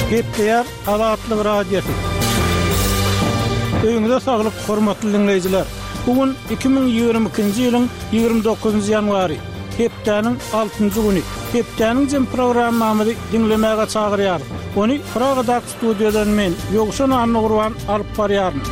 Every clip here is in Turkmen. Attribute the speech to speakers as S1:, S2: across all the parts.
S1: Gepleýär Azatlyk Radiosy. Öýüňize saglyk, hormatly diňleýjiler! Bu gün 2022-nji ýylyň 29-njy ýanwary, hepdäniň altynjy güni. Hepdäniň jem programmamyzy diňlemäge çagyrýarys. Ony Pragadaky Studiýadan men, Ýowşan Annagurban alyp barýaryn.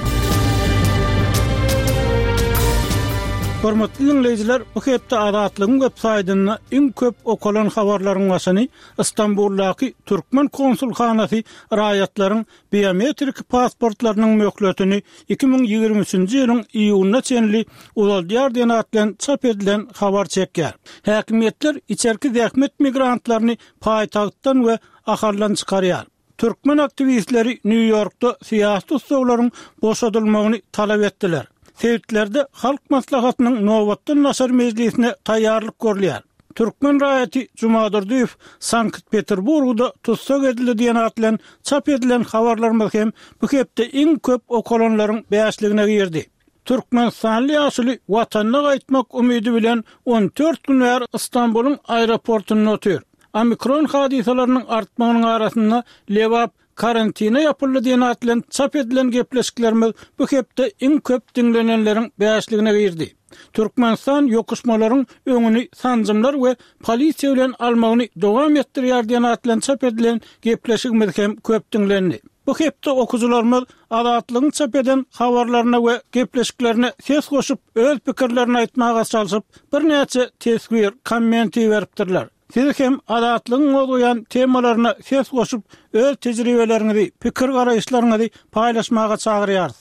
S1: Hormatly diňleýjiler, bu hepde Azatlygyň web saýtynda iň köp okalan habarlaryň başyny Stambuldaky türkmen konsulhanasy raýatlaryň biometrik pasportlarynyň möhletini 2023-nji ýylyň iýunyna çenli uzaldýar diýen at bilen çap edilen habar çekýär. Häkimiýetler içerki zähmet migrantlaryny paýtagtdan we Ahaldan çykarýar. Türkmen aktiwistleri Nýu-Ýorkda syýasy tussaglaryň boşadylmagyny talap etdiler. Sebitlerde Halk Maslahatynyň nobatdan daşary mejlisine taýýarlyk görülýär. Türkmen raýaty Jumadurdyýew Sankt-Peterburgda tussag edildi diýen at bilen çap edilen habarlarymyz hem bu hepde iň köp okalanlaryň bäşligine girdi. Türkmenistanly ýaşuly Watanyna gaýtmak umydy bilen 14 gün bäri Stambulyň aeroportunda otyr. Omikron hadysalarynyň artmagynyň arasynda Lebap karantine ýapyldy diýen at bilen çap edilen gepleşiklerimiz bu hepde iň köp diňlenenleriň bäşligine girdi. Türkmenistan ýokuşmalaryň öňüni sanjymlar we polisiýa bilen almagyny dowam etdirýär diýen at bilen çap edilen gepleşigimiz hem köp diňlendi. Bu hepde okyjylarymyz Azatlygyň çap eden habarlaryna we gepleşiklerine ses goşup, öz pikirlerini aýtmaga çalşyp, birnäçe teswir, komment iberipdirler. Siz hem Azatlygyň gozgaýan temalaryna ses goşup, öz tejribeleriňizi, pikir-garaýyşlaryňyzy paýlaşmaga çagyrýarys.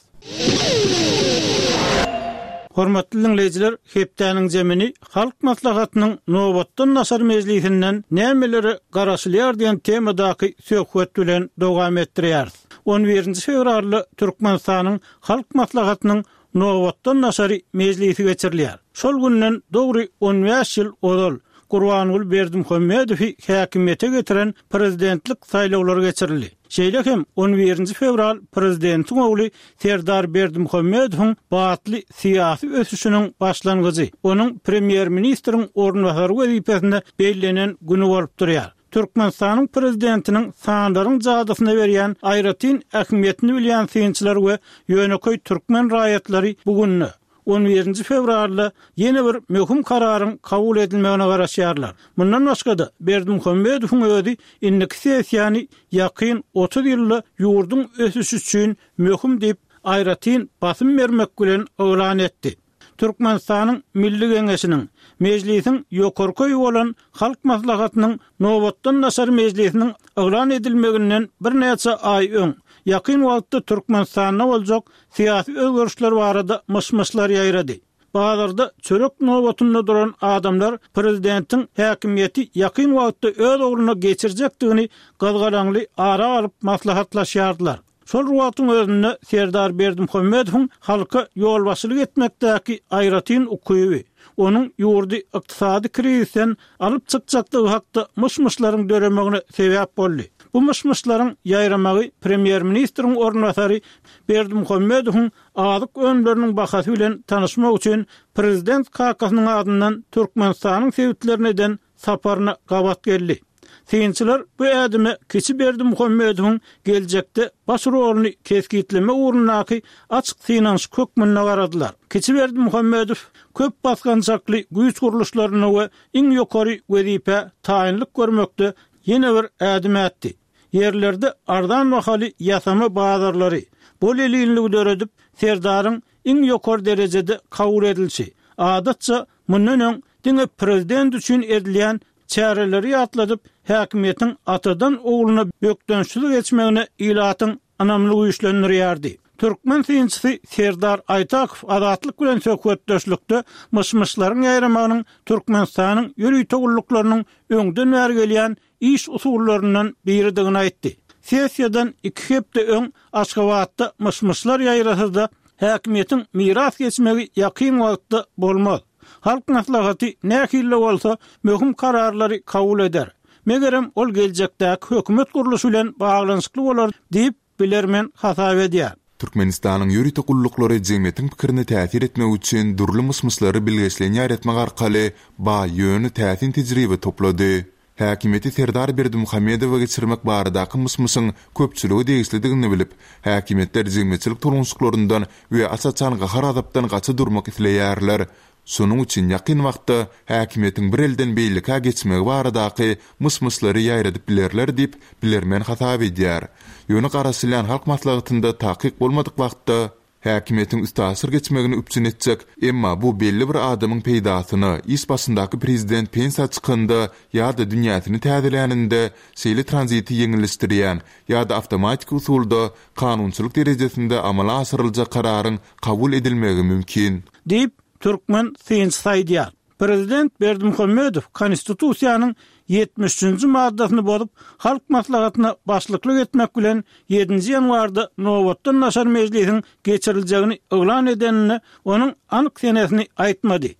S1: Hormatly diňleýjiler, hepdäniň zemini Halk Maslahatynyň nobatdan daşary mejlisinden nämelere garaşylýar diýen temadaky söhbet bilen dowam etdirýäris. On birinji fewralda Türkmenistanyň Halk Maslahatynyň nobatdan daşary mejlisi geçirilýär. Şol günden dogry on bäş ýyl ozal Gurbanguly Berdimuhamedowy häkimiýete getiren prezidentlik saýlawlary geçirildi. Şeýle hem on birinji fewral prezidentiň ogly Serdar Berdimuhamedowyň batly syýasy ösüşiniň başlangyjy, onuň premýer-ministriň orunbasary wezipesine bellenen güni bolup durýar. Türkmenistanyň prezidentiniň sanlaryň jadysyna berýän aýratyn ähmiýetini bilýän synçylar we ýönekeý türkmen raýatlary bu günde, on birinji fewralda ýene bir möhüm kararyň kabul edilmegine garaşýarlar. Mundan başga-da, Berdimuhamedowyň özi indiki sessiýany ýakyn 30 ýylda ýurduň ösüşi üçin möhüm diýip, aýratyn basym bermek bilen yglan etdi. Türkmenistanyň Milli Geňeşiniň, Mejlisiň ýokarky öýi bolan Halk Maslahatynyň nobatdan daşary mejlisiniň yglan edilmeginden birnäçe aý öň, ýakyn wagtda Türkmenistanda boljak syýasy özgerişler barada myş-myşlar ýaýrady. Bazarda çörek nobatynda duran adamlar prezidentiň häkimiýeti ýakyn wagtda öz ogluna geçirjekdigini gyzgalaňly ara alyp maslahatlaşýardylar. Şol bir wagtyň özünde Serdar Berdimuhamedowyň halka ýolbaşçylyk etmekdäki aýratyn ukyby, onuň ýurdy ykdysady krizisden alyp çykjakdygy hakda myş-myşlaryň döremegine sebäp boldy. Bu myş-myşlaryň ýaýramagy premýer-ministriň orunbasary Berdimuhamedowyň azyk önümleriniň bahasy bilen tanyşmak üçin prezident kakasynyň adyndan Türkmenistanyň sebitlerine eden saparyna gabat geldi. Synçylar bu ädime kiçi Berdimuhamedowyň geljekde baş roluny kesgitlemek ugrundaky açyk synanyşyk hökmünde garadylar. Kiçi Berdimuhamedow köp basgançakly güýç gurluşlarynda we iň ýokary wezipä taýynlyk görmekde ýene bir ädim ätdi. Ýerlerde arzan bahaly ýasama bazarlary, bol-elinligi döredip, Serdaryň iň ýokary derejede kabul edilişi, adatça, mundan öň diňe prezident üçin edilýän çäreleri ýatladyp, häkimiýetiň atadan ogluna bökdençsiz geçmegine ilatyň ynamyny güýçlendirýärdi. Türkmen synçysy Serdar Aýtakow Azatlyk bilen söhbetdeşlikde myş-myşlaryň ýaýramagynyň Türkmenistanyň ýörite gulluklarynyň öňden bäri gelýän iş usullaryndan biridigini aýtdy. Sessiýadan iki hepde öň Aşgabatda myş-myşlar ýaýrasa-da, häkimiýetiň miras geçmegi ýakyn wagtda bolmaz. Halk Maslahaty nähili-de bolsa möhüm kararlary kabul eder. Megerem, ol geljekdäki hökümet gurluşy bilen baglanyşykly bolar diýip, bilermen hasap edýär.
S2: Türkmenistanyň ýörite gulluklary jemgyýetiň pikirine täsir etmek üçin dürli myş-myşlary bilgeşleýin ýaýratmak arkaly baý, ýöne täsin tejribe toplady. Häkimiýeti Serdar Berdimuhamedowa geçirmek baradaky myş-myşyň köpçülige degişlidigini bilip, häkimiýetler jemgyýetçilik tolgunyşyklaryndan we aç-açan gahar-gazapdan gaça durmak isleýärler. Şonuň üçin ýakyn wagtda häkimiýetiň bir elden beýlekä geçmegi baradaky myş-myşlary ýaýradyp bilerler diýip, bilermen hasap edýär. Ýöne garaşylýan Halk Maslahatynda takyk bolmadyk wagtda häkimiýetiň üstaşyr geçmegini üpjün etjek, emma bu belli bir adamyň peýdasyna, iş başyndaky prezident pensiýa çykanda ýa-da dünýäsini täzeläninde şeýle tranziti ýeňilleşdirýän ýa-da awtomatiki usulda kanunçylyk derejesinde amala aşyryljak kararyň kabul edilmegi mümkin.
S1: Diýip, türkmen synçysy aýdýar. Prezident Berdimuhamedow Konstitusiýanyň 73-nji maddasyny bozup, Halk Maslahatyna başlyklyk etmek bilen, ýedinji ýanwarda nobatdan daşary mejlisiň geçiriljegini yglan edeninde, onuň anyk senesini aýtmady.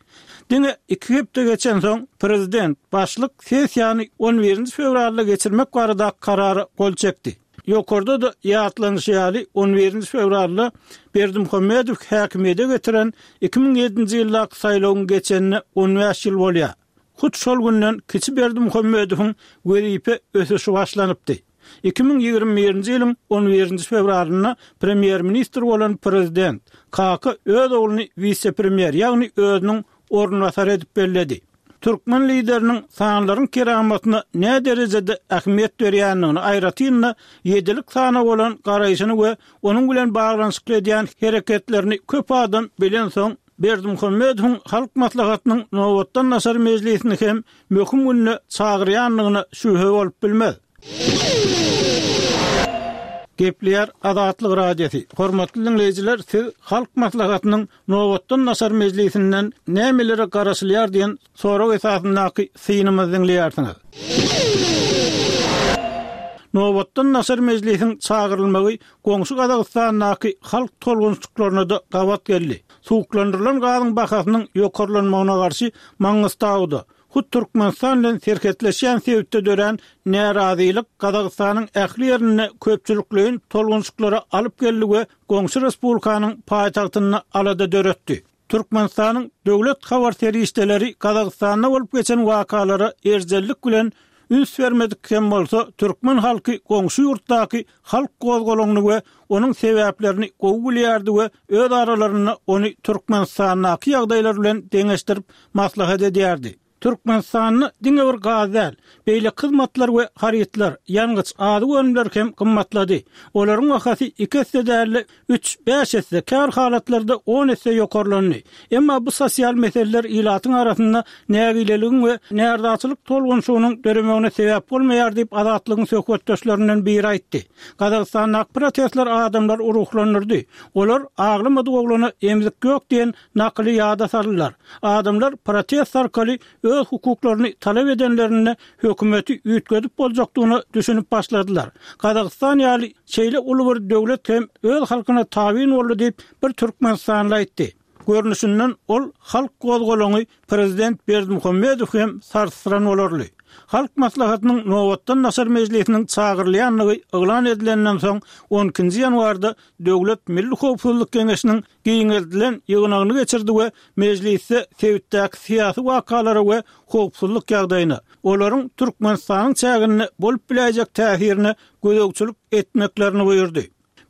S1: Diňe iki hepde geçensoň, prezident başlyk sessiýany on birinji fewralda geçirmek baradaky karara gol çekdi. Ýokarda-da ýatlanyşy ýaly, on birinji fewralda Berdimuhamedow häkimiýede getiren 2007-nji ýyldaky saýlawyň geçenine on bäş ýyl bolýar. Hut şol günden kiçi Berdimuhamedowyň wezipe ösüşi başlanypdy. 2021-nji ýylyň on birinji fewralynda premýer-ministr bolan prezident Kaka öz ogluny wise-premýer, ýagny özüniň orunbasary edip belledi. Türkmen Lideriniň sanlaryň keramatyna näderejede ähmiýet berýändigini, aýratyn-da, ýedilik sana bolan garaýşyny we onuň bilen baglanyşykly edýän hereketlerini köp adam bilensoň, Berdimuhamedowyň Halk Maslahatynyň nobatdan daşary mejlisini hem möhüm günde çagyrýandygyna şübhe bolup bilmez. Gepleýär Azatlyk Radiosy, Hormatly diňleýjiler, siz Halk Maslahatynyň nobatdan daşary mejlisinden nämelere garaşylýar diýen sorag esasyndaky synymyzy diňleýärsiňiz. Nobatdan daşary mejlisiň çagyrylmagy goňşy Gazagystandaky halk tolgunyşyklaryna-da gabat geldi. Suwuklandyrylan gazyň bahasynyň ýokarlanmagyna garşy Maňňystauda, Hut Türkmenistan bilen serhetleşýän sebitde dörän närazylyk Gazagystanyň ähli ýerinde köpçülikleýin tolgunyşyklara alyp geldi we goňşy respublikanyň paýtagtynda alada döretdi. Türkmenistanyň döwlet habar serişdeleri Gazagystanda bolup geçen wakalara erjellik bilen üns bermedik hem bolsa, türkmen halky goňşy ýurtdaky halk gozgalaňyny we onuň sebäplerini gowy bilýärdi we öz aralarynda ony Türkmenistandaky ýagdaýlar bilen deňeşdirip maslahat edýärdi. Türkmenistanda diňe bir gaz däl, beýleki hyzmatlar we harytlar, ýangyç, azyk önümleri hem gymmatlady. Olaryň bahasy iki esse däl-de, üç, bäş esse, käbir halatlarda on esse ýokarlandy. Emma bu sosial meseleler ilatyň arasynda nägileligiň we närazyçylyk tolgunyşygynyň döremegine sebäp bolmaýar diýip, Azatlygyň söhbetdeşlerinden biri aýtdy. Gazagystandaky protestler adamlary ruhlandyrdy. Olar aglamadyk oglana emzik ýok diýen nakyly ýada saldylar. Adamlar protest arkaly öz hukuklaryny talap edenlerinde hökümeti üýtgedip boljakdygyna düşünip başladylar. Gazagystan ýaly şeýle uly bir döwlet hem öz halkyna tabyn boldy diýip, bir türkmenistanly aýtdy. Görnüşinden ol halk gozgalaňy prezident Berdimuhamedow hem sarsdyran bolarly. Halk Maslahatynyň nobatdan daşary mejlisiniň çagyrylýandygy yglan edilenden soň on ikinji ýanwarda Döwlet milli howpsuzlyk geňeşiniň giňeldilen ýygnagyny geçirdi we mejlisde sebitdäki syýasy wakalara we howpsuzlyk ýagdaýyna, olaryň Türkmenistanyň çäginde bolup biläýjek täsirine gözegçilik etmeklerini buýurdy.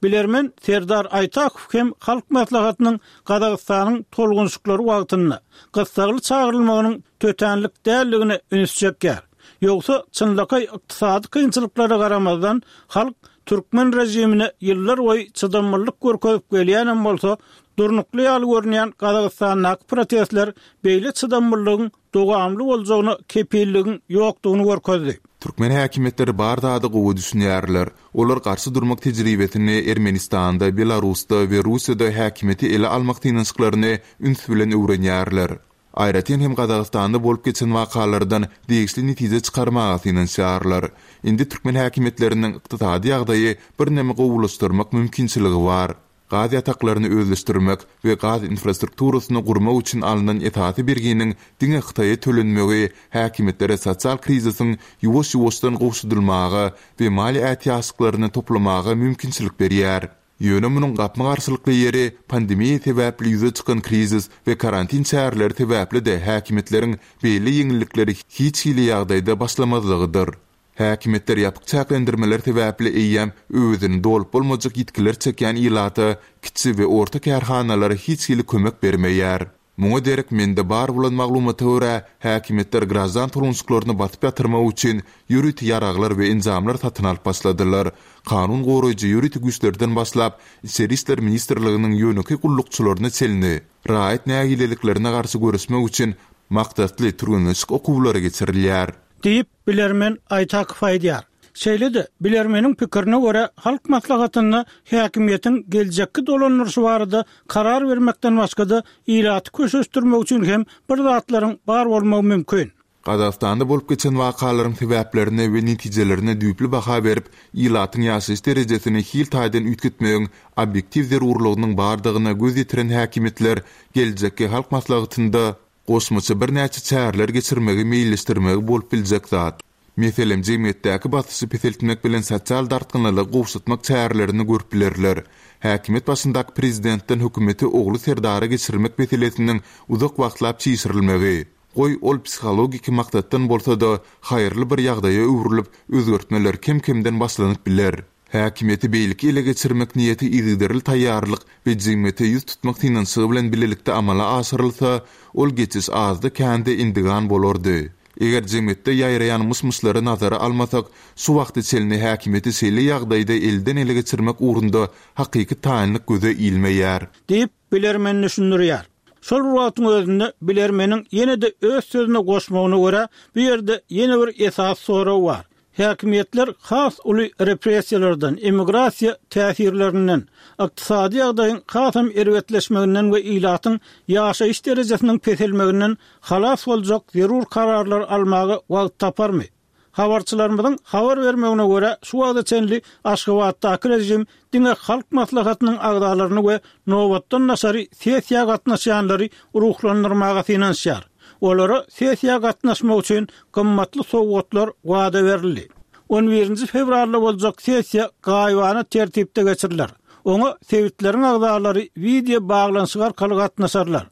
S1: Bilermen Serdar Aýtakow hem Halk Maslahatynyň Gazagystanyň tolgunyşyklary wagtynda gyssagly çagyrylmagynyň tötänlik däldigine üns çekýär. Ýogsa, çynlakaý ykdysady kynçylyklara garamazdan, halk türkmen režimine ýyllar boýy çydamlylyk görkezip gelýänem bolsa, durnukly ýaly görünýän Gazagystandaky protestler beýle çydamlylygyň dowamly boljagyna kepilligiň ýokdugyny görkezdi.
S2: Türkmen häkimiýetleri bar zada gowy düşünýärler. Olar garşy durmak tejribesini Ermenistanda, Belarusda we Russiýada häkimiýeti ele almak synanyşyklaryny üns bilen öwrenýärler. Aýratyn hem Gazagystanda bolup geçen wakalardan degişli netije çykarmaga synanyşýarlar. Indi türkmen häkimiýetleriniň ykdysady ýagdaýy birneme gowulaşdyrmak mümkinçiligi bar. Gaz ýataklaryny özleşdirmek we gaz infrastrukturasyny gurmak üçin alnan esasy berginiň diňe Hytaýa tölenmegi häkimiýetlere sosial krizisiň ýuwaş-ýuwaşdan gowşadylmaga we maliýe ätiýaçlyklaryny toplamaga mümkinçilik berýär. Ýöne munuň gapma-garşylykly ýeri, pandemiýa sebäpli ýüze çykan krizis we karantin çäreleri sebäpli-de häkimiýetleriň beýle ýeňillikleri hiç hili ýagdaýda başlamazlygydyr. Häkimiýetler ýapyk çäklendirmeler sebäpli eýýäm öwezini dolup bolmajak ýitgiler çekýän ilata, kiçi we orta kärhanalara hiç hili kömek bermeýär. Muňa derek mende bar bolan maglumata görä, häkimiýetler graždan tolgunşyklaryny basyp ýatyrmak üçin ýörite ýaraglar we enjamlar satyn alyp başladylar. Kanun goraýjy ýörite güýçlerden başlap, Içeri işler ministrliginiň ýönekeý gullukçylaryna çenli, raýat nägileliklerine garşy göreşmek üçin maksatly türgenleşik okuwlary geçirilýär.
S1: Diýip, bilermen Aýtakow aýdýar. Şeýle-de, bilermeniň pikirine görä, Halk Maslahatynda häkimiýetiň geljekki dolandyryşy barada karar bermekden başga-da, ilaty köşeşdirmek üçin hem bir zatlaryň bar bolmagy mümkin.
S2: Gazagystanda bolup geçen wakalaryň sebäplerine we netijelerine düýpli baha berip, ilatyň ýaşaýyş derejesini hil taýdan üýtgetmegiň obýektiw zerurlygynyň bardygyna göz ýetiren häkimiýetler geljekki Halk Maslahatynda goşmaça birnäçe çäreler geçirmegi meýilleşdirmegi bolup biljek zat. Meselem, jemgyýetdäki basyşy peseltmek bilen sosial dartgynlylygy gowşatmak çärelerini görüp bilerler. Häkimiýet başyndaky prezidentden hökümeti ogly Serdara geçirmek meselesiniň uzak wagtlap çişirilmegi, goý, ol psihologiki maksatdan bolsa-da, haýyrly bir ýagdaýa öwrülip, özgertmeler kem-kemden başlanyp biler. Häkimiýeti beýleki ele geçirmek niýeti yzygiderli taýýarlyk we jemgyýete ýüz tutmak synanyşygy bilen bilelikde amala aşyrylsa, ol geçiş azda-kände endigan bolardy. Eger jemgyýetde ýaýraýan myş-myşlary nazara almasak, şu wagta çenli häkimiýeti şeýle ýagdaýda elden-ele geçirmek ugrunda hakyky taýynlyk göze ilmeýär.
S1: Diýip, bilermen düşündirýär. Şol bir wagtyň özünde, bilermeniň ýene-de öz sözüne goşmagyna görä, bu ýerde ýene bir esasy sorag bar. Häkimiýetler has uly repressiýalardan, emigrasiýa täsirlerinden, ykdysady ýagdaýyň hasam erbetleşmeginden we ilatyň ýaşaýyş derejesiniň peselmeginden halas boljak zerur kararlary almaga wagt taparmy? Habarçylarymyzyň habar bermegine görä, şu wagta çenli Aşgabatdaky režim diňe Halk Maslahatynyň agzalaryny we nobatdan daşary sessiýa gatnaşýanlary ruhlandyrmaga synanyşýar. Olara sessiýa gatnaşmak üçin gymmatly sowgatlar wada berildi. On birinji fewralda boljak sessiýa gaýybana tertipde geçiriler. Oňa sebitleriň agzalary wideo baglanyşyk arkaly gatnaşarlar.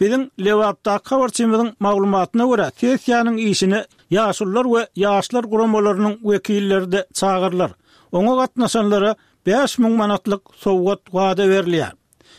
S1: Biziň Lebapdaky habarçymyzyň maglumatyna görä, sessiýanyň işine Ýaşulular we ýaşlar guramalarynyň wekilleri-de çagyrylar. Oňa gatnaşanlara 5000 manatlyk sowgat wada berilýär.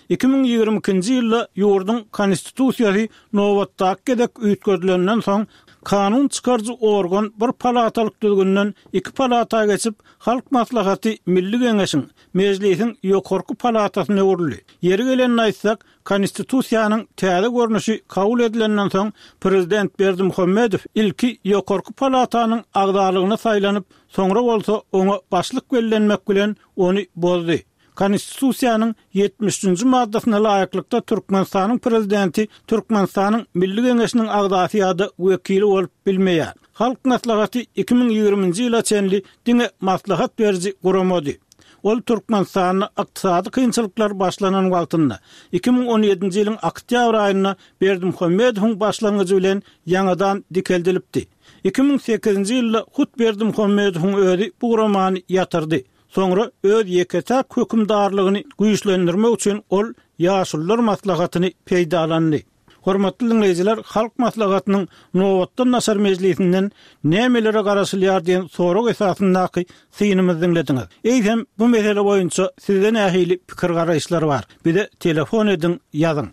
S1: 2022-nji ýylda ýurduň Konstitusiýasy nobatdaky gezek üýtgedilenden soň, kanun çykaryjy organ bir palatalyk düzgünden iki palata geçip, Halk Maslahaty Milli Geňeşiň, Mejlisiň ýokarky palatasyna öwrüldi. Ýeri gelende aýtsak, Konstitusiýanyň täze görnüşi kabul edilenden soň, prezident Berdimuhamedow ilki ýokarky palatanyň agzalygyna saýlanyp, soňra bolsa oňa başlyk bellenmek bilen ony bozdy. Konstitusiýanyň 73 njy maddasyna laýyklykda Türkmenistanyň Prezidenti Türkmenistanyň Milli Geňeşiniň agzasy ýa-da wekili bolup bilmeýär. Halk Maslahaty 2020-nji ýyla çenli diňe maslahat beriji guramady. Ol Türkmenistanda ykdysady kynçylyklar başlanan wagtynda, 2017-nji ýylyň oktýabr aýynda Berdimuhamedowyň başlangyjy bilen ýaňadan dikeldilipdi. 2008-nji ýylda hut Berdimuhamedowyň özi bu guramany ýatyrdy. Soňra öz ýeke-täk hökümdarlygyny güýçlendirmek üçin ol Ýaşulular maslahatyny peýdalandy. Hormatly diňleýjiler, Halk Maslahatynyň nobatdan daşary mejlisinden nämelere garaşylýar diýen sorag esasyndaky synymyzy diňlediňiz. Eýsem, bu mesele boýunça sizde nähili pikir-garaýyşlar bar? Bize telefon ediň, ýazyň.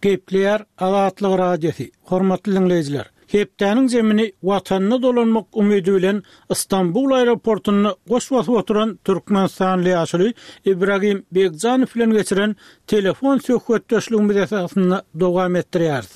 S1: Gepleýär Azatlyk Radiosy, Hormatly diňleýjiler, Hepdäniň zemini Watanyna dolanmak umydy bilen Stambul aeroportunda goş basyp oturan türkmenistanly ýaşuly Ibragim Begjanow bilen geçiren telefon söhbetdeşligimiz esasynda dowam etdirýäris.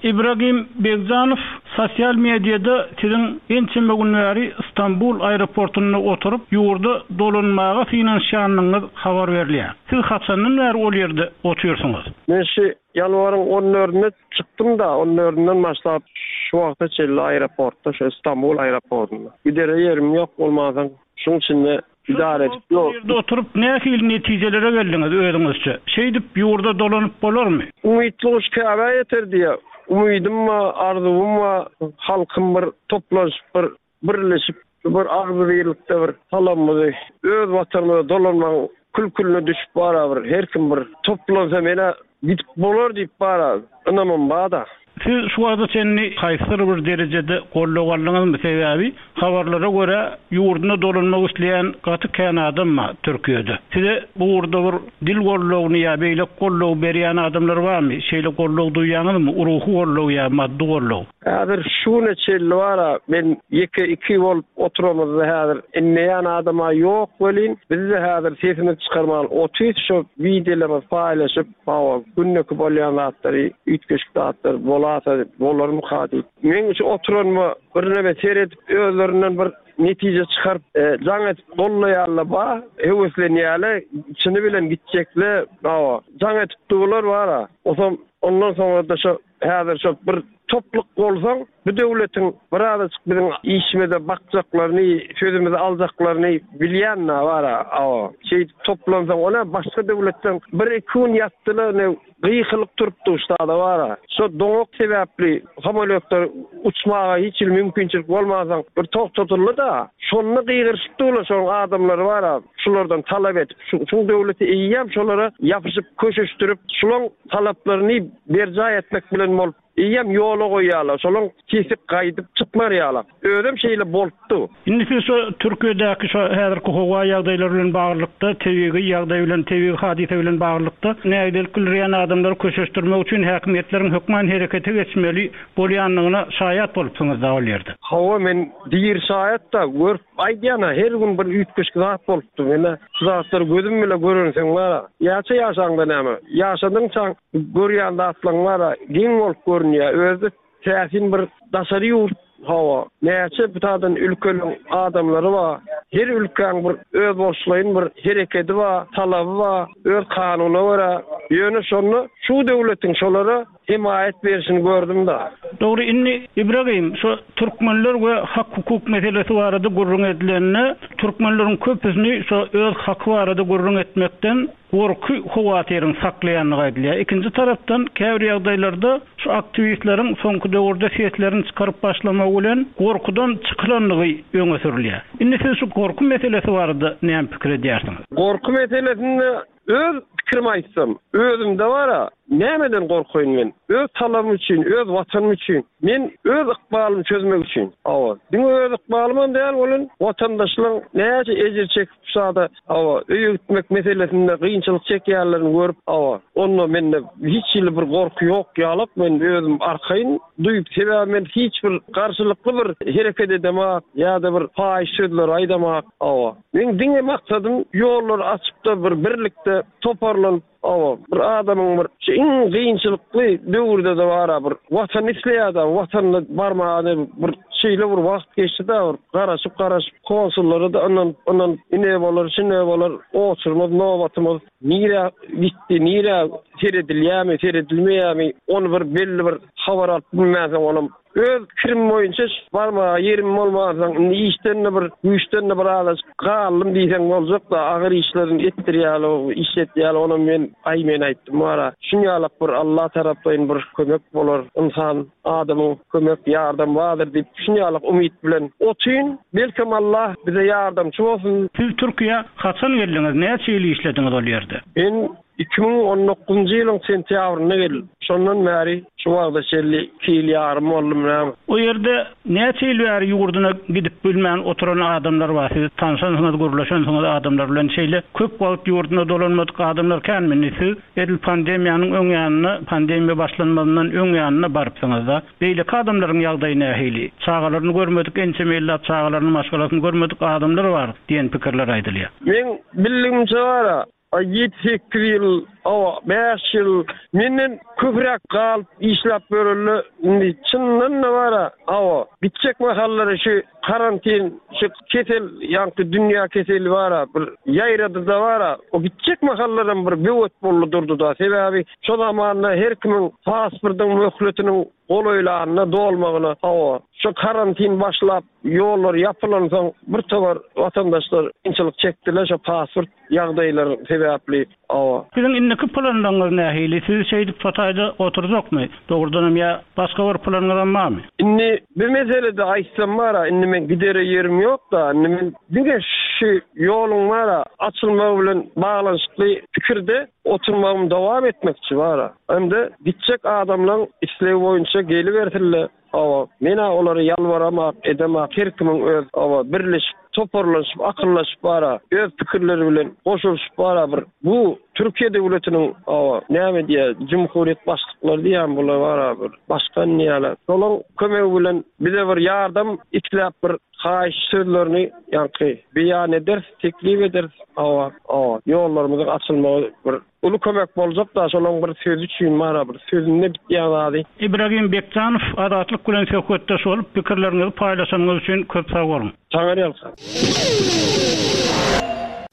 S1: Ibragim Begjanow, sosial mediada siziň ençeme gün bäri Stambul aeroportunda oturyp, ýurda dolanmaga synanyşýandygyňyz habar berilýär. Siz haçandan bäri ol ýerde otyrsyňyz?
S3: Men şu Ýanwaryň on dördünde çykdym-da, on dördünden başlap şu wagta çenli aeroportda, şu Stambul aeroportynda. Gidere ýerim ýok bolmansoň, şuň içinde idare edip
S1: ýok. Bu ýerde oturyp nähili netijelere geldiňiz özüňizçe? Şeýdip ýurda dolanyp bolarmy?
S3: Umytly guş Käbä ýeter diýýär. Umydym bar, arzuwym bar, halkym bir toplanyşyp bir birleşip. Şu bir agzybirlikde bir salamymyzy öz watanymyza dolanmagyň kül-külüne düşüp bara bir her kim bir toplansa menä gidip bolar diýip bara ynamym bada.
S1: Siz şu wagta çenli haýsydyr bir derejede goldaw aldyňyzmy? Sebäbi habarlara görä ýurduna dolanmak isleýän gaty kän adam bar Türkiýede. Size bu ugurda bir dil goldawyny ýa beýleki goldawy berýän adamlar barmy? Şeýle goldaw duýýaňyzmy? Ruhy goldaw ýa maddy goldaw?
S3: Häzir şu güne çenli bar-a, men ýeke-iki bolup oturamyzda häzir inleýän adam-a ýok welin, biz-de häzir sesimizi çykarman otyrys şo wideolarymyzy paýlaşyp, hawa, gündeki bolýan zatlary, üýtgeşik zatlar bolasa bolarmyka diýip. Meň şu oturanyma birneme seredip özlerinden bir netije çykaryp, jaň edip gollaýarlar bar, höweslenýärler, çyny bilen gitjekler, hawa, jaň edip durlar bar-a. Osam ondan soňra-da şo Häzir şo bir topluk bolsaň, bu döwletiň birazajyk biziň işimize bakjaklaryny, sözümizi aljaklaryny bilýän-dä bar-a, awa. Şeýdip toplansaň, o-nä başga döwletden bir-iki gün ýatdylar, ine, gykylyk turupdy ştada bar-a. Şo doňak sebäpli samolýotlar uçmaga hiç hili mümkinçilik bolmansoň, bir togtadyldy-da. Şonda gygyryşyp durlar şonuň adamlary bar-a, şulardan talap edip. Şuň döwleti eýýäm şolara ýapyşyp, köşeşdirip, şulaň talaplaryny berjaý etmek bilen bolup, eýýäm ýola goýýarlar, şolaň sesi gaýdyp çykmar ýalak. Özem şeýle bolupdy.
S1: Indi siz şo Türkiýedäki şo häzirki howa ýagdaýlary bilen baglylykda, tebigy ýagdaý bilen, tebigy hadysa bilen baglylykda nägilelik bildirýän adamlary köşeşdirmek üçin häkimiýetleriň hökman herekete geçmeli bolýandygyna şaýat bolupsyňyz-da ol ýerde.
S3: Hawa, men diri şaýat-da, görüp aýdýan-a, her gün bir üýtgeşik zat bolupdy. Men-ä şu zatlary gözüm bile görensoň bar-a, Ýaça ýaşaňda näme? Ýaşadyňçaň görýän zatlaň bar-a, geň bolup görünýär. Özi täsin bir daşary ýurt, hawa, näçe bitadan ülkeliň adamlary bar. Her ülkäň bir özboluşlaýyn bir herekedi bar, talaby bar, öz kanuna görä. Ýöne şonda şu döwletiň şolara hemaýat berşini gördüm-da.
S1: Dogry, indi Ibragim, şu türkmenler we hak-hukuk meselesi barada gürrüň edilende, türkmenleriň köpüsini şu öz haky barada gürrüň etmekden gorky howatyryň saklaýandygy aýdylýar. Ikinji tarapdan, käbir ýagdaýlarda şu aktiwistleriň soňky döwürde seslerini çykaryp başlamagy bilen gorkudan çykylandygy öňe sürülýär. Indi siz şu gorky meselesi barada näme pikir edýärsiňiz?
S3: Gorky meselesinde Öz pikirimi aýtsam, özümde bar-a, nämeden gorkaýyn men? Öz talabym üçin, öz Watanym üçin, men öz ykbalymy çözmek üçin. Hawa, diňe öz ykbalymam däl welin, watandaşlaň näçe ejir çekip şada, hawa, öýe gitmek meselesinde kynçylyk çekýänlerini görüp, hawa, onda mende hiç hili bir gorky ýok ýalak, men özüm arkaýyn duýup, sebäbi men hiç bir garşylykly bir hereket edemak ýa-da bir paýyş sözleri aýdamak, hawa. Meň diňe maksadym ýollary açypda bir birlikde toparlanyp hawa bir adamyň bir şu iň gynçylykly döwürdede bara bir watany isleýäda watanyna barmaga bir şeýle bir wagt geçdida bir garaşyp garaşyp konsullara-da ynanyp ynanyp ine bolar şine bolar oçurmaz nobatymyz nirä gitdi nirä seredilýämi seredilmeýämi ony bir belli bir habar alyp bilmänsoň onam Öz pikirim boýunça barmaga ýerim bolmansoň, indi işden-de bir, güýçden-de bir azajyk galdym diýseň boljak-da, agyr işlerini etdirýärler, işletýärler, onam men, aý men aýtdym wara, şunýalak bir Alla taraplaýyn bir kömek bolar, ynsan, adamyň kömek, ýardam bardyr diýip, şunýalak umyt bilen otyryn. Belkem Alla bize ýardamçy bolsun.
S1: Siz Türkiýä haçan geldiňiz, näçe ýyl işlediňiz ol ýerde?
S3: Men 2019-njy ýylyň sentýabrynda geldim. Şondan bäri şu wagta çenli iki ýyl ýarym boldumy näme.
S1: O ýerde näçe ýyl bäri ýurduna gidip bilmän oturan adamlar bar. Siz tanşansyňyz, gürleşensiňiz adamlar bilen. Şeýle köp wagt ýurduna dolanmadyk adamlar känmi? Indi siz edil pandemiýanyň öň ýanynda, pandemiýa başlanmazyndan öň ýanynda barypsyňyz-da. Beýleki adamlaryň ýagdaýy nähili? Çagalaryny görmedik, ençeme ýyllap çagalaryny, maşgalasyny görmedik adamlar bar diýen pikirler aýdylýar.
S3: Meň bildigimçe bar-a, Aý ýedi-sekiz ýyl, hawa, bäş ýyl menden köpräk galyp işläp ýörende, indi çyndan-da bar-a, hawa, gitjek mahallary şu karantin, şu kesel, ýaňky dünýä keseli bar-a, bir ýaýrady-da bar-a, o gitjek mahallaram bir böwet boldy durdy-da. Sebäbi şo zamanda her kimiň pasportyň möhletiniň golaýlanyna, dolmagyna, hawa, şu karantin başlap. ýollar ýapylansoň bir towar watandaşlar kynçylyk çekdiler şo pasport ýagdaýlar sebäpli. Hawa.
S1: Siziň indiki planlaryňyz nähili? Sizi şeýdip Hytaýda oturjakmy? Dogrudanam ýa başga bir planyňyzam barmy?
S3: Indi bir meselede aýtsam bara, indi men gidere ýerim ýok-da, indi men diňe şu ýoluň bara açylmagy bilen baglanyşykly pikirde oturmagymy dowam etmekçi bara. Hem-de gitjek adamlaň islegi boýunça gelibersinler. Hawa, men-ä olara ýalbaramok, edemok, her kimiň öz, hawa, birleşip, toparlanyşyp, akyllaşyp bar-a, öz pikirleri bilen goşulyşyp bar-a bir, bu Türkiýe döwletiniň, hawa, näme diýýär, jumhurýet başlyklary diýýän bular bar-a bir, başkan diýýärler. Şolaň kömegi bilen bize bir ýardam isläp bir haýyş sözlerini ýaňky beýan ederis, teklip ederis, hawa, hawa, ýollarymyzyň açylmagy bir Uly kömek boljak-da şolaň bir sözi üçin bara bir sözünde bitýän zady.
S1: Ibragim Bekjanow Azatlyk bilen söhbetdeş bolup, pikirleriňizi paýlaşanyňyz üçin köp sag boluň.
S3: Saňa ýalkasyn.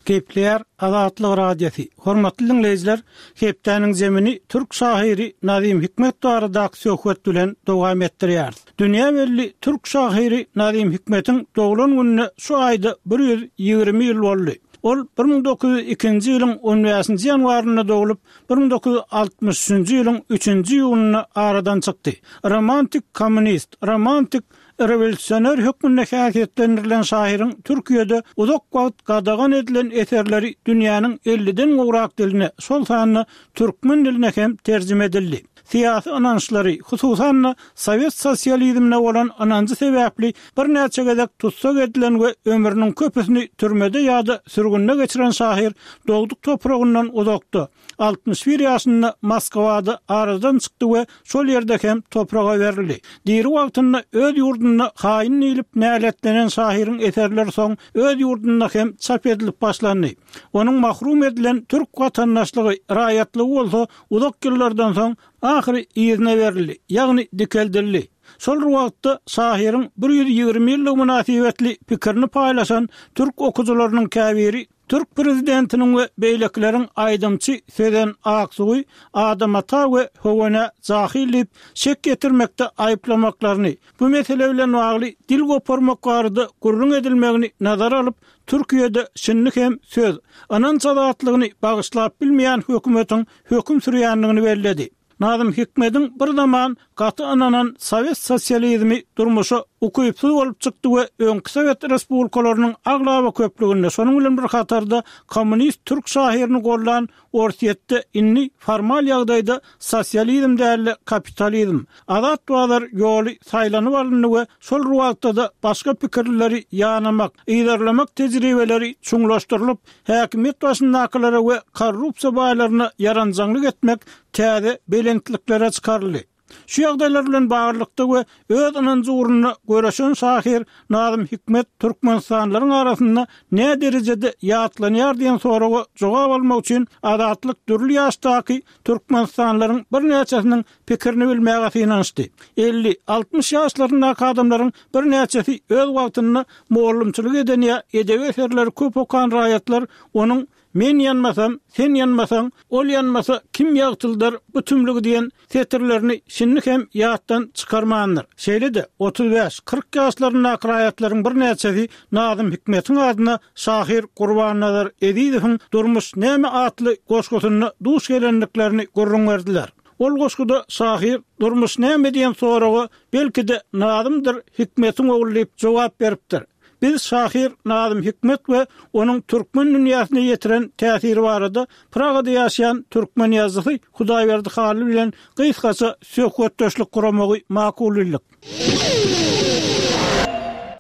S1: Gepleýär Azatlyk Radiosy. Hormatly diňleýjiler, hepdäniň zemini türk şahyry Nazym Hikmet baradaky söhbet bilen dowam etdirýäris. Dünýä belli türk şahyry Nazym Hikmetiň doglan gününe şu aýda 120 ýyl boldy. Ol 1902-nji ýylyň on bäşinji ýanwarynda doglup, 1963-nji ýylyň üçünji iýunynda aradan çykdy. Romantik kommunist, romantik rewolýusioner hökmünde häsiýetlendirilen şahyryň Türkiýede uzak wagt gadagan edilen eserleri dünýäniň elliden gowrak diline, şol sanda türkmen diline hem terjime edildi. Syýasy ynançlary, hususan-da, sowet sosializmine bolan ynanjy sebäpli birnäçe gezek tussag edilen we ömrüniň köpüsini türmede ýa-da sürgünde geçiren şahyr dogduk topragyndan uzakda, 61 ýaşynda Moskwada aradan çykdy we şol ýerde hem topraga berildi. Diri wagtynda öz ýurdunda haýyn diýlip näletlenen şahyryň eserleri soň öz ýurdunda hem çap edilip başlandy. Onuň mahrum edilen türk watandaşlygy, raýatlygy bolsa uzak ýyllardan soň ahyry yzyna berildi, ýagny dikeldildi. Şol bir wagtda şahyryň 120 ýyllygy mynasybetli pikirini paýlaşan türk okyjylarynyň käbiri türk prezidentiniň we beýlekileriň aýdymçy Sezen Aksuwy Adam ata we Höwenä jahyl diýip şek ýetirmekde aýyplamaklaryny, bu mesele bilen bagly dil goparmak barada gürrüň edilmegini nazara alyp, Türkiýede şindi hem söz, ynanç azatlygyny bagyşlap bilmeýän hökümetiň höküm sürýändigini belledi. Nazym Hikmediň bir zaman gaty ynanan sowet sosializmi durmuşa ukypsyz bolup çykdy we öňki sowet respublikalarynyň aglaba köplüginde, şonuň bilen bir hatarda kommunist türk şahyryny goldan Orsýetde indi formal ýagdaýda sosializm däl-de kapitalizm, azat bazar ýoly saýlanyp alyndy we şol bir wagtda-da başga pikirlileri ýanamak, yzarlamak tejribeleri çuňlaşdyrylyp, häkimiýet başyndakylara we korrupsiýa baýlaryna ýaranjaňlyk etmek täze belentliklere çykaryldy. Şu ýagdaýlar bilen baglylykda we öz ynanjy ugrunda göreşen şahyr Nazym Hikmet türkmenistanlylaryň arasynda nä derejede ýatlanýar diýen soraga jogap almak üçin Azatlyk dürli ýaşdaky türkmenistanlylaryň birnäçesiniň pikirini bilmäge synanyşdy. 50, 60 ýaşlaryndaky adamlaryň birnäçesi öz wagtynda mugallymçylyk eden ýa edebi eserleri köp okan raýatlar onuň Men ýanmasam, sen ýanmasaň, ol ýanmasa kim ýagtyldar bu tümlügi diýen setirlerini şindi hem ýatdan çykarmandyr. Şeýle-de, 35, 40 ýaşlaryndaky raýatlaryň birnäçesi Nazym Hikmetiň adyna şahyr Gurbannazar Ezizowyň Durmuş näme atly goşgusynda duş gelendiklerini gürrüň berdiler. Ol goşguda şahyr Durmuş näme diýen soraga belki-de Nazymdyr Hikmetiň ogly diýip jogap beripdir. Biz şahyr Nazym Hikmet we onuň türkmen dünýäsine ýetiren täsiri barada Pragada ýaşaýan türkmen ýazyjysy Hudaýberdi Hally bilen gysgaça söhbetdeşlik guramagy makul bildik.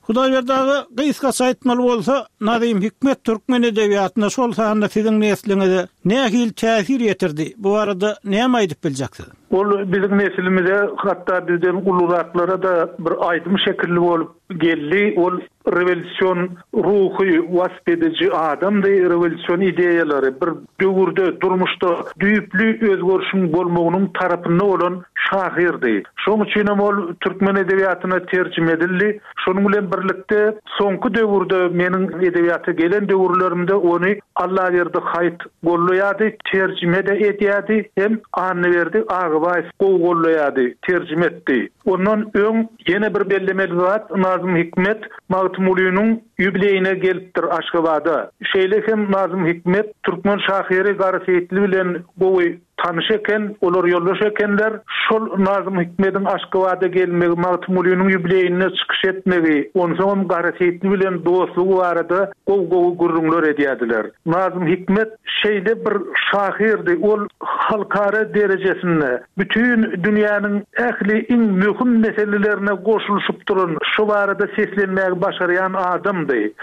S1: Hudaýberdi aga, gysgaça aýtmaly bolsa, Nazym Hikmet türkmen edebiýatyna, şol sanda siziň nesliňize nähili täsir ýetirdi? Bu barada näme aýdyp biljeksiz?
S4: Ol biziň neslimize, hatda bizden uluraklara-da bir aýdym şekilli bolup Geldi. Ol rewolýusion ruhy wasp ediji adamdy, rewolýusion ideýalary, bir döwürde durmuşda düýpli özgerişiň bolmagynyň tarapynda bolan şahyrdy. Şonuň üçinem ol türkmen edebiýatyna terjime edildi. Şonuň bilen birlikde, soňky döwürde, meniň edebiýata gelen döwürlerimde ony Allaberdi Haýyt gollaýardy, terjime-de edýärdi hem Annaberdi Agabaýew. Gargybaýew gowy gollaýardy, terjime etdi. Ondan öň ýene bir bellemeli zat, Nazym Hikmet Magtymgulynyň ýubileýine gelipdir Aşgabada. Şeýle hem Nazym Hikmet türkmen şahyry Gara Seýitli bilen gowy tanyş eken, olar ýoldaş ekenler. Şol Nazym Hikmediň Aşgabada gelmegi, Magtymgulynyň ýubileýinde çykyş etmegi, onsoňam Gara Seýitli bilen dostlugy barada gowy-gowy gürrüňler edýärdiler. Nazym Hikmet şeýle bir şahyrdy, ol halkara derejesinde bütin dünýäniň ähli iň möhüm meselelerine goşulyşyp duran, şo barada seslenmägi başarýan adamdy.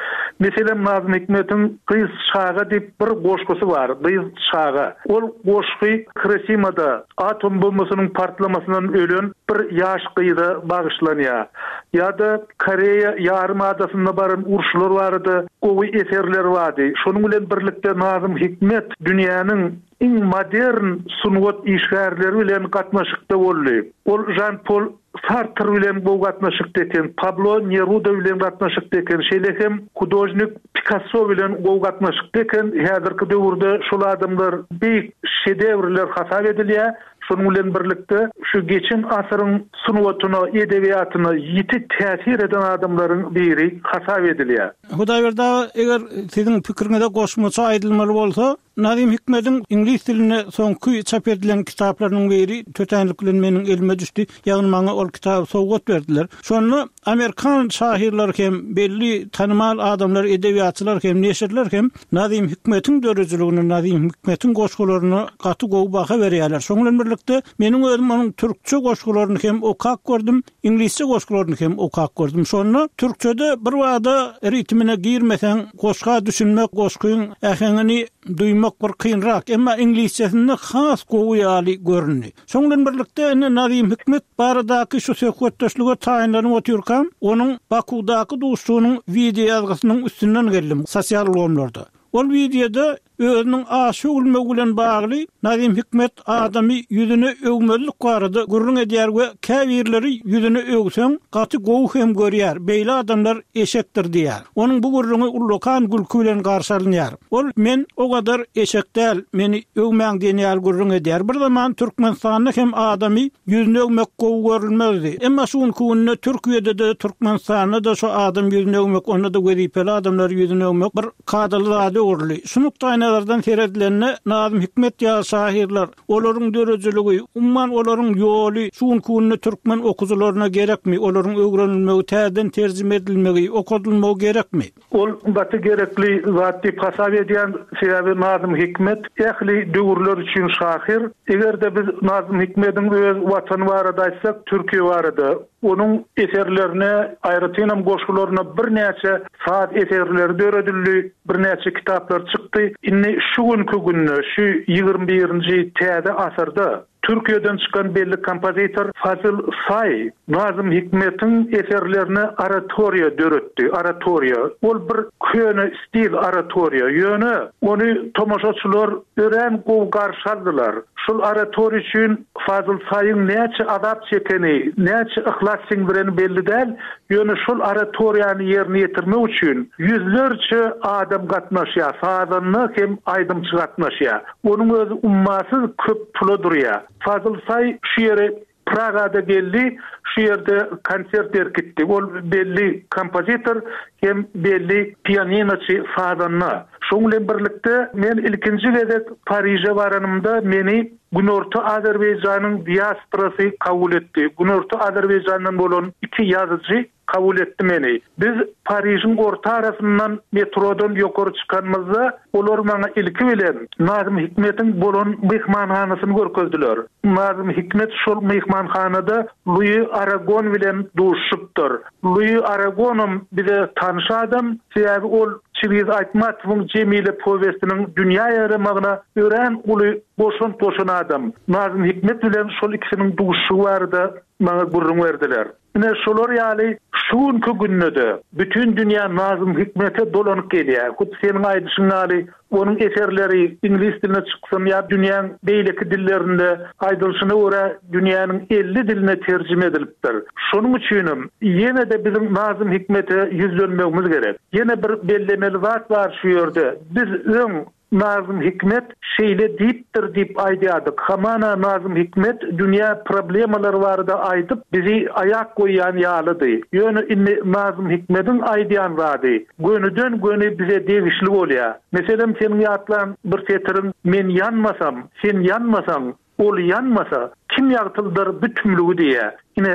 S4: Meselem, Nazym Hikmetiň Gyz çaga diýip bir goşgusy bar, Gyz çaga. Ol goşgy Hirosimada atom bombasynyň partlamasyndan ölen bir ýaş gyza bagyşlanýar. Ýa-da Koreýa ýarym adasynda baran uruşlar barada gowy eserleri bardy. Şonuň bilen birlikde Nazym Hikmet dünýäniň iň modern sungat işgärleri bilen gatnaşykda boldy. Ol Žan Pol Sartr bilen gowy gatnaşykda eken, Pablo Neruda bilen gatnaşykda eken, şeýle hem hudožnik Pikasso bilen gowy gatnaşykda eken. Häzirki döwürde şol adamlar beýik şedewrler hasap edilýär. Şonuň bilen birlikde, şu geçen asyryň sungatyna, edebiýatyna ýiti täsir eden adamlaryň biri hasap edilýär.
S1: Hudaýberdi aga, eger siziň pikiriňize goşmaça aýdylmaly bolsa, Nazym Hikmediň iňlis dilinde soňky çap edilen kitaplarynyň biri tötänlik bilen meniň elime düşdi. Ýagny maňa ol kitaby sowgat berdiler. Şonda amerikan şahyrlary hem, belli tanymal adamlar, edebiýatçylar hem, neşirler hem Nazym Hikmetiň döredijiligine, Nazym Hikmetiň goşgularyna gaty gowy baha berýärler. Şonuň bilen birlikde, meniň özüm onuň türkçe goşgularyny hem okap gördüm. Iňlisçe goşgularyny hem okap gördüm. Şonda türkçede birbada ritmine girmeseň, goşga düşünmek, goşgyň äheňini duýmak bir kynrak. Emma iňlisçesinde has gowy ýaly göründi. Şoň bilen birlikde indi Nazym Hikmet baradaky şu söhbetdeşlige taýynlanyp otyrkam, onuň Bakuwdaky duşuşygynyň wideoýazgysynyň üstünden geldim sosial ulgamlarda. Ol wideoda özüniň aşa öwülmegi bilen bagly Nazym Hikmet adamy ýüzüne öwmezlik barada gürrüň edýär we käbirleri ýüzüne öwseň gaty gowy hem görýär, beýle adamlar eşekdir diýýär. Onuň bu gürrüňi ullakan gülki bilen garşy alynýar. Ol men o gadar eşek däl, meni öwmäň diýen ýaly gürrüň edýär. Bir zaman Türkmenistanda hem adamy Ýüzüni öwmek gowy görülmezdi. Emma şu günki günde Türkiýede-de, Türkmenistanda-da şu adam ýüzüni öwmek, onda-da wezipeli adamlary ýüzüni öwmek bir kadaly zada öwrüldi. Şu nukdaýnazardan seredilende, Nazym Hikmet ýaly şahyrlar, olaryň döredijiligi, umuman olaryň ýoly şu günki günde türkmen okyjylaryna gerekmi, olaryň öwrenilmegi, täzeden terjime edilmegi, okadylmagy gerekmi?
S4: Ol gaty gerekli zat diýip hasap edýän, sebäbi Nazym Hikmet ähli döwürler üçin şahyr. Eger-de biz Nazym Hikmediň öz watany barada aýtsak, Türkiýe barada, onuň eserlerine, aýratynam goşgularyna birnäçe saz eserleri döredildi, birnäçe kitaplar çykdy. Indi şu günki günde, şu ýigrimi birinji täze asyrda Türkiýeden çykan belli kompozitor Fazil Saý Nazym Hikmetiň eserlerine oratoriýa döretdi. Oratoriýa, ol bir köne stil oratoriýa, ýöne ony tomaşaçylar örän gowy garşy aldylar. Şol oratoriýa üçin Fazil Saýyň näçe azap çekeni, näçe yhlas siňdireni belli däl, ýöne şol oratoriýany ýerine ýetirmek üçin ýüzlerçe adam gatnaşýar, sazanda hem aýdymçy gatnaşýar. Onuň özi ummasyz köp pula durýar. Fazyl Saý şu ýere Pragada geldi, şu ýerde konsert berip gitdi. Ol belli kompozitor hem belli pianinoçy, sazanda. Şoň bilen birlikde men ilkinji gezek Pariže baranymda meni Günorta Azerbaýjanyň diasporasy kabul etdi. Günorta Azerbaýjandan bolan iki ýazyjy Kabul etdi meni. Biz Parižiň orta arasyndan metrodan ýokary çykanymyzda, olar maňa ilki bilen Nazym Hikmetiň bolan myhmanhanasyny görkezdiler. Nazym Hikmet şol myhmanhanada Lui Aragon bilen duşuşypdyr. Lui Aragonam bize tanyş adam, sebäbi ol Çingiz Aýtmatowyň Jemile powestiniň dünýä ýaýramagyna örän uly goşant goşan adam. Nazym Hikmet bilen şol ikisiniň duşuşygy barada maňa gürrüň berdiler. Ine, şolar ýaly şu günki günde-de bütin dünýä Nazym Hikmete dolanyp gelýär. Hut seniň aýdyşyň ýaly, onuň eserleri iňlis diline çyksyn ýa dünýäň beýleki dillerinde, aýdylyşyna görä, dünýäniň 50 diline terjime edilipdir. Şonuň üçinem ýene-de biziň Nazym Hikmete ýüzlenmegimiz gerek. Ýene bir bellemeli zat bar şu ýerde. Biz öň. Nazym Hikmet şeýle diýipdir diýip aýdýardyk. Hamana Nazym Hikmet dünýä problemalary barada aýdyp, bizi aýak goýýan ýalydy. Ýöne indi Nazym Hikmediň aýdýan zady gönüden-göni bize degişli bolýar. Meselem, seniň ýatlan bir setiriň Men ýanmasam, sen ýanmasaň, Ol ýanmasa, kim ýagtyldar bu tümlügi diýýär. Ine,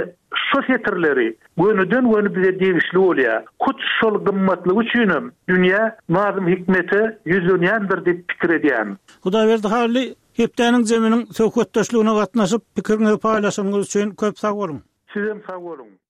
S4: şo setirleri gönüden-göni bize degişli bolýar. Hut şol gymmatlygy üçinem dünýä Nazym Hikmete ýüzlenýändir diýip pikir edýän.
S1: Hudaýberdi Hally, Hepdäniň jeminiň söhbetdeşligine gatnaşyp, pikiriňizi paýlaşanyňyz üçin köp sag boluň!
S4: Sizem sag boluň!